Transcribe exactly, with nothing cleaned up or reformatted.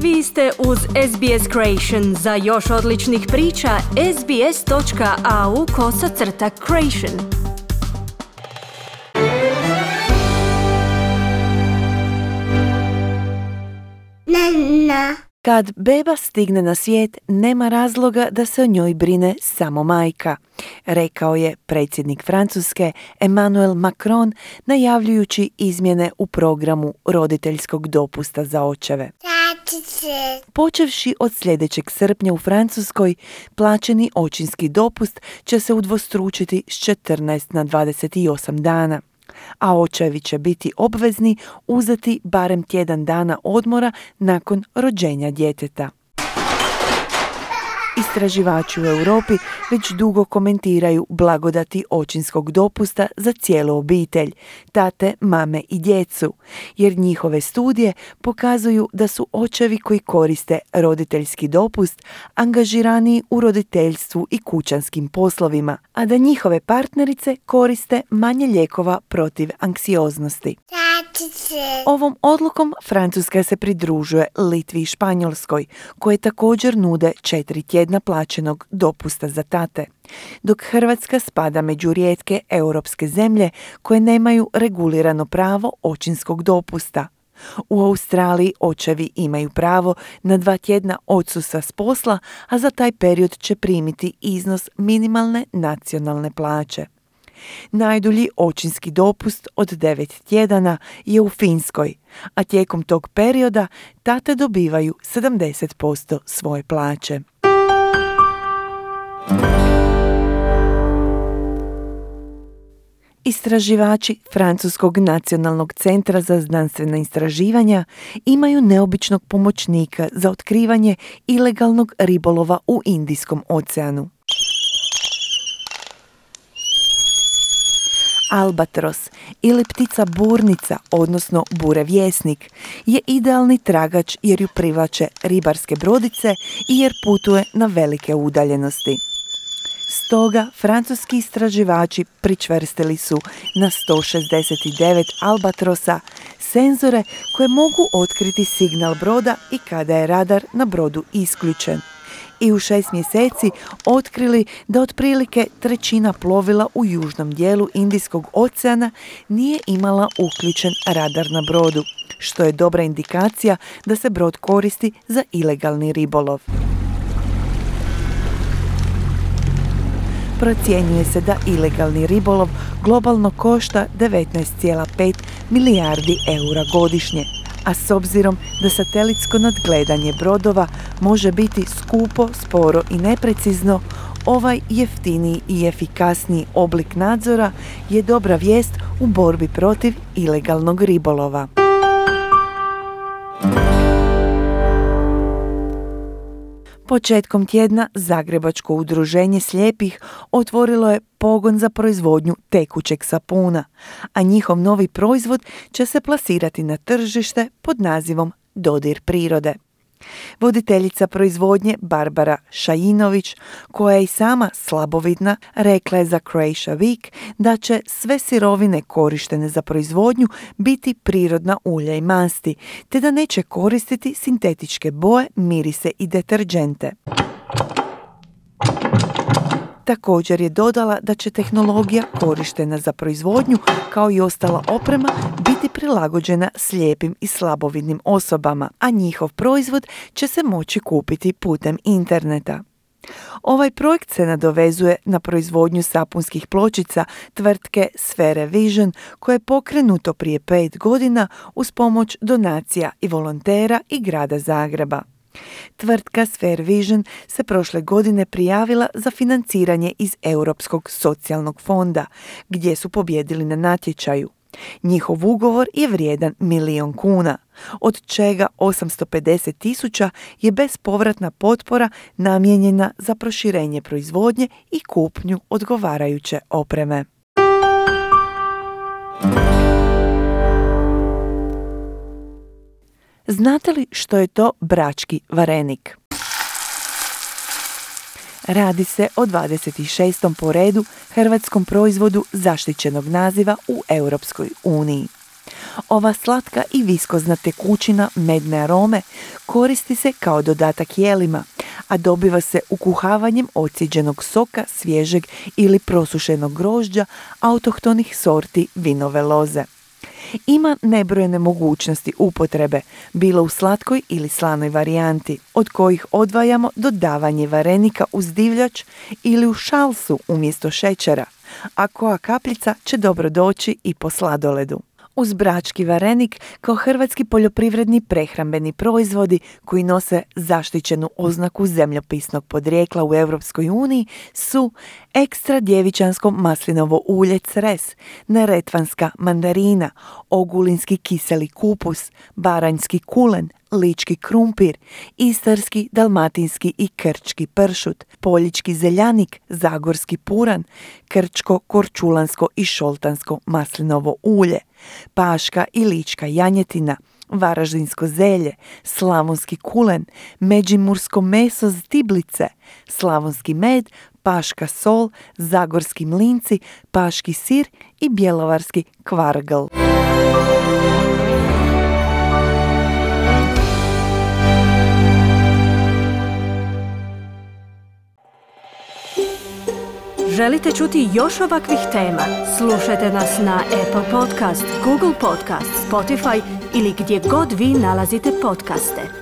Vi ste uz S B S Creation. Za još odličnih priča, sbs.au kosacrta creation. Nana. Kad beba stigne na svijet, nema razloga da se o njoj brine samo majka, rekao je predsjednik Francuske Emmanuel Macron najavljujući izmjene u programu roditeljskog dopusta za očeve. Počevši od sljedećeg srpnja u Francuskoj, plaćeni očinski dopust će se udvostručiti s četrnaest na dvadeset osam dana, a očevi će biti obvezni uzeti barem tjedan dana odmora nakon rođenja djeteta. Istraživači u Europi već dugo komentiraju blagodati očinskog dopusta za cijelu obitelj, tate, mame i djecu, jer njihove studije pokazuju da su očevi koji koriste roditeljski dopust angažiraniji u roditeljstvu i kućanskim poslovima, a da njihove partnerice koriste manje lijekova protiv anksioznosti. Ovom odlukom Francuska se pridružuje Litvi i Španjolskoj, koje također nude četiri tjedna plaćenog dopusta za tate, dok Hrvatska spada među rijetke europske zemlje koje nemaju regulirano pravo očinskog dopusta. U Australiji očevi imaju pravo na dva tjedna odsustva s posla, a za taj period će primiti iznos minimalne nacionalne plaće. Najdulji očinski dopust od devet tjedana je u Finskoj, a tijekom tog perioda tate dobivaju sedamdeset posto svoje plaće. Istraživači Francuskog nacionalnog centra za znanstvena istraživanja imaju neobičnog pomoćnika za otkrivanje ilegalnog ribolova u Indijskom oceanu. Albatros ili ptica burnica, odnosno burevjesnik, je idealni tragač jer ju privlače ribarske brodice i jer putuje na velike udaljenosti. Stoga francuski istraživači pričvrstili su na sto šezdeset devet albatrosa senzore koje mogu otkriti signal broda i kada je radar na brodu isključen. I u šest mjeseci otkrili da otprilike trećina plovila u južnom dijelu Indijskog oceana nije imala uključen radar na brodu, što je dobra indikacija da se brod koristi za ilegalni ribolov. Procjenjuje se da ilegalni ribolov globalno košta devetnaest zarez pet milijardi eura godišnje, a s obzirom da satelitsko nadgledanje brodova može biti skupo, sporo i neprecizno, ovaj jeftiniji i efikasniji oblik nadzora je dobra vijest u borbi protiv ilegalnog ribolova. Početkom tjedna Zagrebačko udruženje slijepih otvorilo je pogon za proizvodnju tekućeg sapuna, a njihov novi proizvod će se plasirati na tržište pod nazivom Dodir prirode. Voditeljica proizvodnje Barbara Šajinović, koja je i sama slabovidna, rekla je za Croatia Week da će sve sirovine korištene za proizvodnju biti prirodna ulja i masti, te da neće koristiti sintetičke boje, mirise i deterdžente. Također je dodala da će tehnologija korištena za proizvodnju, kao i ostala oprema, biti prilagođena slijepim i slabovidnim osobama, a njihov proizvod će se moći kupiti putem interneta. Ovaj projekt se nadovezuje na proizvodnju sapunskih pločica tvrtke Sphere Vision, koje je pokrenuto prije pet godina uz pomoć donacija i volontera i grada Zagreba. Tvrtka Sphere Vision se prošle godine prijavila za financiranje iz Europskog socijalnog fonda, gdje su pobijedili na natječaju. Njihov ugovor je vrijedan milijon kuna, od čega osamsto pedeset tisuća je bespovratna potpora namijenjena za proširenje proizvodnje i kupnju odgovarajuće opreme. Znate li što je to brački varenik? Radi se o dvadeset šestom po redu hrvatskom proizvodu zaštićenog naziva u Europskoj uniji. Ova slatka i viskozna tekućina medne arome koristi se kao dodatak jelima, a dobiva se ukuhavanjem ocijeđenog soka, svježeg ili prosušenog grožđa autohtonih sorti vinove loze. Ima nebrojene mogućnosti upotrebe, bilo u slatkoj ili slanoj varijanti, od kojih odvajamo dodavanje varenika uz divljač ili u šalsu umjesto šećera, a koja kapljica će dobro doći i po sladoledu. Uz brački varenik kao hrvatski poljoprivredni prehrambeni proizvodi koji nose zaštićenu oznaku zemljopisnog podrijetla u Europskoj uniji su ekstra djevičansko maslinovo ulje Cres, neretvanska mandarina, ogulinski kiseli kupus, baranjski kulen, lički krumpir, istarski, dalmatinski i krčki pršut, poljički zeljanik, zagorski puran, krčko, korčulansko i šoltansko maslinovo ulje, paška i lička janjetina, varaždinsko zelje, slavonski kulen, međimursko meso z diblice, slavonski med, paška sol, zagorski mlinci, paški sir i bjelovarski kvargl. Želite čuti još ovakvih tema? Slušajte nas na Apple Podcast, Google Podcast, Spotify ili gdje god vi nalazite podcaste.